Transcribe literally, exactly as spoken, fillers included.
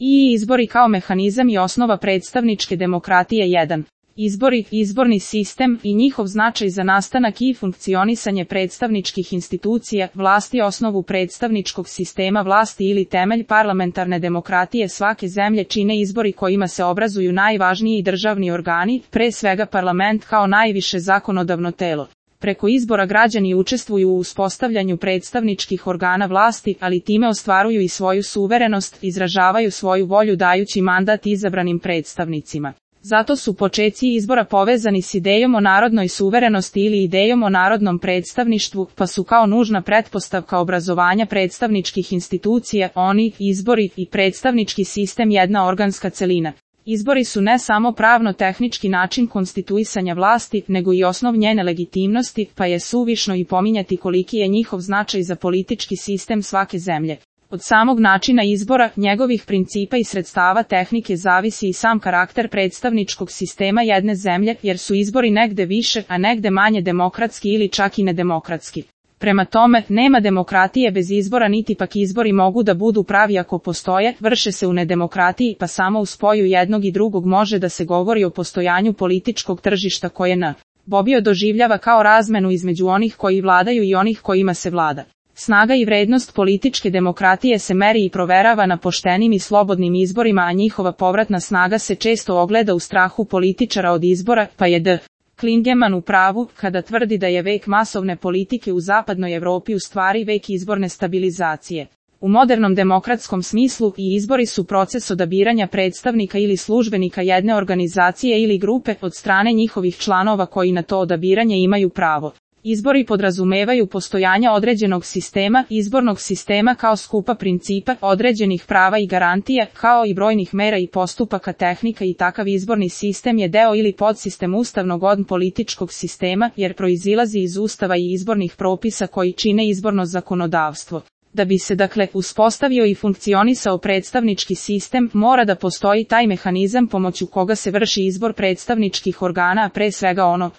I izbori kao mehanizam i osnova predstavničke demokratije. jedan. Izbori, izborni sistem i njihov značaj za nastanak i funkcionisanje predstavničkih institucija, vlasti osnovu predstavničkog sistema vlasti ili temelj parlamentarne demokratije svake zemlje čine izbori kojima se obrazuju najvažniji državni organi, pre svega parlament kao najviše zakonodavno telo. Preko izbora građani učestvuju u uspostavljanju predstavničkih organa vlasti, ali time ostvaruju i svoju suverenost, izražavaju svoju volju dajući mandat izabranim predstavnicima. Zato su počeci izbora povezani s idejom o narodnoj suverenosti ili idejom o narodnom predstavništvu, pa su kao nužna pretpostavka obrazovanja predstavničkih institucija, oni, izbori i predstavnički sistem jedna organska celina. Izbori su ne samo pravno-tehnički način konstituisanja vlasti, nego i osnov njene legitimnosti, pa je suvišno i pominjati koliki je njihov značaj za politički sistem svake zemlje. Od samog načina izbora, njegovih principa i sredstava tehnike zavisi i sam karakter predstavničkog sistema jedne zemlje, jer su izbori negde više, a negde manje demokratski ili čak i nedemokratski. Prema tome, nema demokratije bez izbora niti pak izbori mogu da budu pravi ako postoje, vrše se u nedemokratiji, pa samo u spoju jednog i drugog može da se govori o postojanju političkog tržišta koje n. Bobio doživljava kao razmenu između onih koji vladaju i onih kojima se vlada. Snaga i vrednost političke demokratije se meri i proverava na poštenim i slobodnim izborima, a njihova povratna snaga se često ogleda u strahu političara od izbora, pa je D. Klingeman u pravu kada tvrdi da je vek masovne politike u zapadnoj Evropi u stvari vek izborne stabilizacije. U modernom demokratskom smislu i izbori su proces odabiranja predstavnika ili službenika jedne organizacije ili grupe od strane njihovih članova koji na to odabiranje imaju pravo. Izbori podrazumevaju postojanje određenog sistema, izbornog sistema kao skupa principa, određenih prava i garantija, kao i brojnih mera i postupaka tehnika i takav izborni sistem je deo ili podsistem ustavnog od političkog sistema, jer proizilazi iz ustava i izbornih propisa koji čine izborno zakonodavstvo. Da bi se dakle uspostavio i funkcionisao predstavnički sistem, mora da postoji taj mehanizam pomoću koga se vrši izbor predstavničkih organa, a pre svega ono